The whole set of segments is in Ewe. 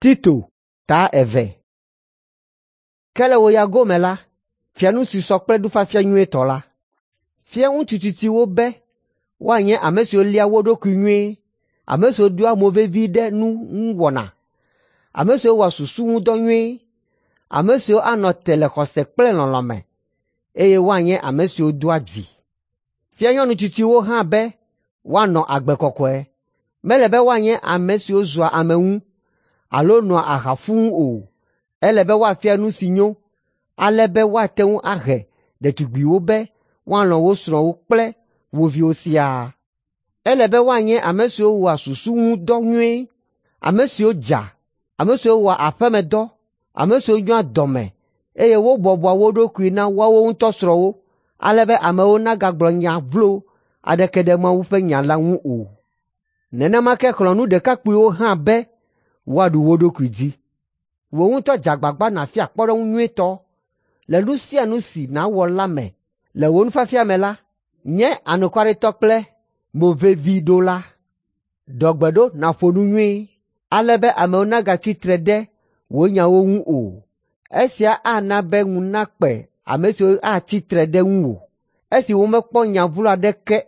Tito ta eve. Ke le wò ya gome la, fia nu si sɔ kple nufiafia nyuitɔ la. Fia ŋutsu tsitsiwo be woanye ame siwo léa wo ɖokui nyuie, ame siwo ɖoa mo vevi ɖe nu ŋu wɔna, ame siwo wɔa susu ŋu dɔ nyuie, ame siwo anɔ te le xɔse kple lɔlɔ̃ me, eye woanye ame siwo doa dzi. Fia nyɔnu tsitsiwo hã be woanɔ agbe kɔkɔe. Mele be woanye ame siwo zua ame ŋu alo noa aha fũu o. Ele be woafia nu si nyo, ale be woate ŋu ahe ɖetugbiwo be woalɔ̃ wo srɔ̃wo kple wo viwo siaa. Ele be woanye ame siwo wɔa susu ŋu dɔ nyuie, ame siwo dza, ame siwo wɔa aƒemedɔ, ame siwo nyoa dɔme eye wobɔbɔa wo ɖokui na woawo ŋutɔ srɔ̃wo, ale be amewo nagagblɔ nya vlo aɖeke ɖe Mawu ƒe nya la ŋu o. Nenema ke xlɔ̃ nu ɖekakpuiwo hã be woaɖu wo ɖokui dzi. Wò ŋutɔ dze agbagba nàfia kpɔɖeŋu nyuitɔ le nu sia nu si nàwɔ la me. Le wò nufiafia me la, nye anukwaretɔ kple moveviɖola. Ɖɔ gbe ɖo nàƒo nu nyuie, ale be amewo nagatsi tre ɖe wò nyawo ŋu o. Esia ana be ŋu nakpe ame siwo atsi tre ɖe ŋuwò, esi womekpɔ nya vlo aɖeke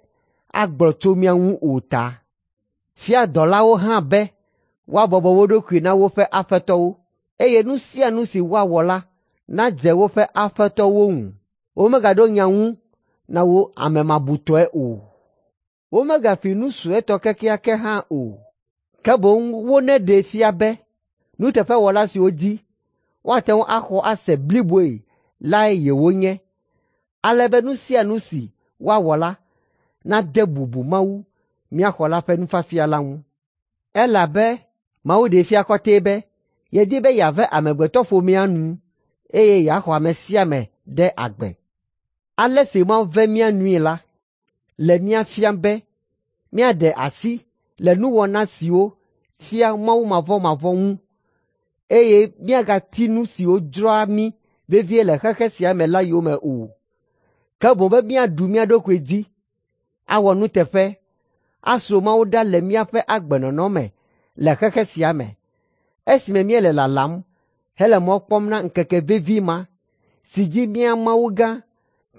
agblɔ tso mía ŋu o ta. Fia dɔlawo hã be woabɔbɔ wo ɖokui na woƒe aƒetɔwo, eye nu sia nu si woawɔ la nadze woƒe aƒetɔwo ŋu. Womegaɖo nya ŋu na wo amemabutɔe o. Womegafi nu suetɔ kekeake hã o, ke boŋ woneɖee fia be nuteƒewɔla siwo dzi woate ŋu axɔ ase bliboe lae yewonye, ale be nu sia nu si woawɔ la nade bubu Mawu, mía Xɔla ƒe nufiafia la ŋu. Elabe Mawu ɖee fia kɔtɛe be yedi be yeave amegbetɔƒomea nu eye yeaxɔ ame sia ame ɖe agbe. Ale si Mawu ve mía nui la le mía fiam be míaɖe asi le nuwɔna siwo fia mawumavɔmavɔ̃ ŋu eye míagati nu siwo dzroa mí vevie le xexe sia me la yome o, ke boŋ be míaɖu mía ɖokui dzi, awɔ nuteƒe, asro Mawu ɖa le míaƒe agbenɔnɔ me le xexe sia me, esime míele lalam hele mɔ kpɔm na ŋkeke vevi ma si dzi mía Mawu gã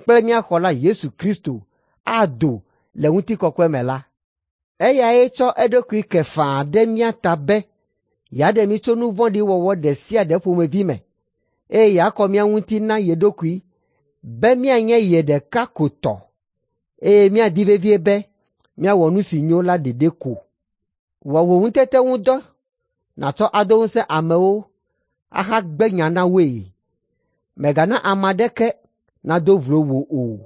kple mía Xɔla Yesu Kristo ado le ŋutikɔkɔe me la. Eyae tsɔ eɖokui ke faa ɖe mía ta be yeaɖe mí tso nu vɔ̃ɖi wɔwɔ ɖe sia ɖe ƒomevi me, eye yeakɔ mía ŋuti na ye ɖokui be míanye ye ɖeka ko tɔ, eye míadi vevie be míawɔ nu si nyo la ɖeɖe ko. Wɔ wò ŋutete ŋu dɔ nàtsɔ ado ŋusẽ amewo ahagbe nya na woe. Mègana ame aɖeke nado vlo wò o.